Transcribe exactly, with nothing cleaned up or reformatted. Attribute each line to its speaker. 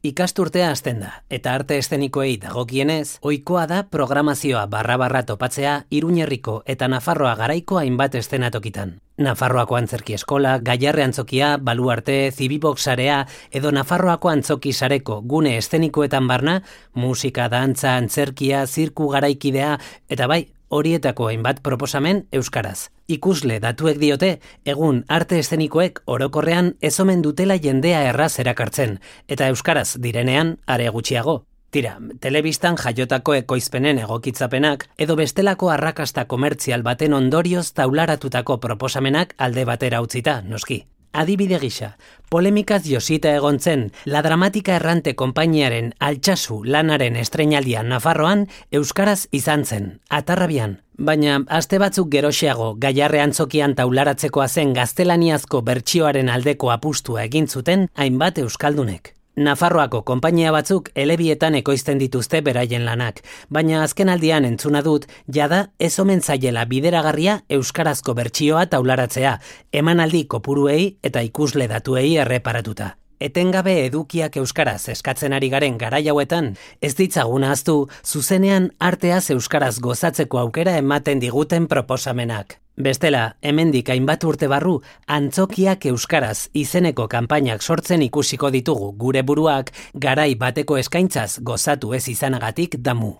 Speaker 1: Ikasturtea hasten da, eta arte eszenikoei dagokienez, ohikoa da programazioa barra-barra topatzea Iruñerriko eta Nafarroa garaiko hainbat eszenatokitan. Nafarroako Antzerki Eskola, Gaiarre Antzokia, Baluarte, Zibibox sarea edo Nafarroako Antzoki sareko gune eszenikoetan barna, musika, dantza, antzerkia, zirku garaikidea, eta bai, horietako hainbat proposamen euskaraz. Ikusle datuek diote, egun arte eszenikoek orokorrean ez omen dutela jendea erraz erakartzen, eta euskaraz direnean are gutxiago. Tira, telebistan jaiotako ekoizpenen egokitzapenak edo bestelako arrakasta komertzial baten ondorioz taularatutako proposamenak alde batera utzita, noski. Adibide gisa, polemikaz josita egon zen La Dramatika Errante konpainiaren Altsasu lanaren estreinaldian Nafarroan euskaraz izan zen, Atarrabian. Baina aste batzuk geroxeago Gaiarre Antzokian taularatzekoa zen gaztelaniazko bertsioaren aldeko apustua egin zuten hainbat euskaldunek. Nafarroako konpainia batzuk elebietan ekoizten dituzte beraien lanak, baina azkenaldian entzuna dut, jada ez omen zaiela bideragarria euskarazko bertsioa taularatzea, emanaldi kopuruei eta ikusle datuei erreparatuta. Etengabe edukiak euskaraz eskatzen ari garen garai hauetan, ez ditzagun ahaztu, zuzenean arteaz euskaraz gozatzeko aukera ematen diguten proposamenak. Bestela, hemendik hainbat urte barru, Antzokiak euskaraz izeneko kanpainak sortzen ikusiko ditugu gure buruak garai bateko eskaintzaz gozatu ez izanagatik damu.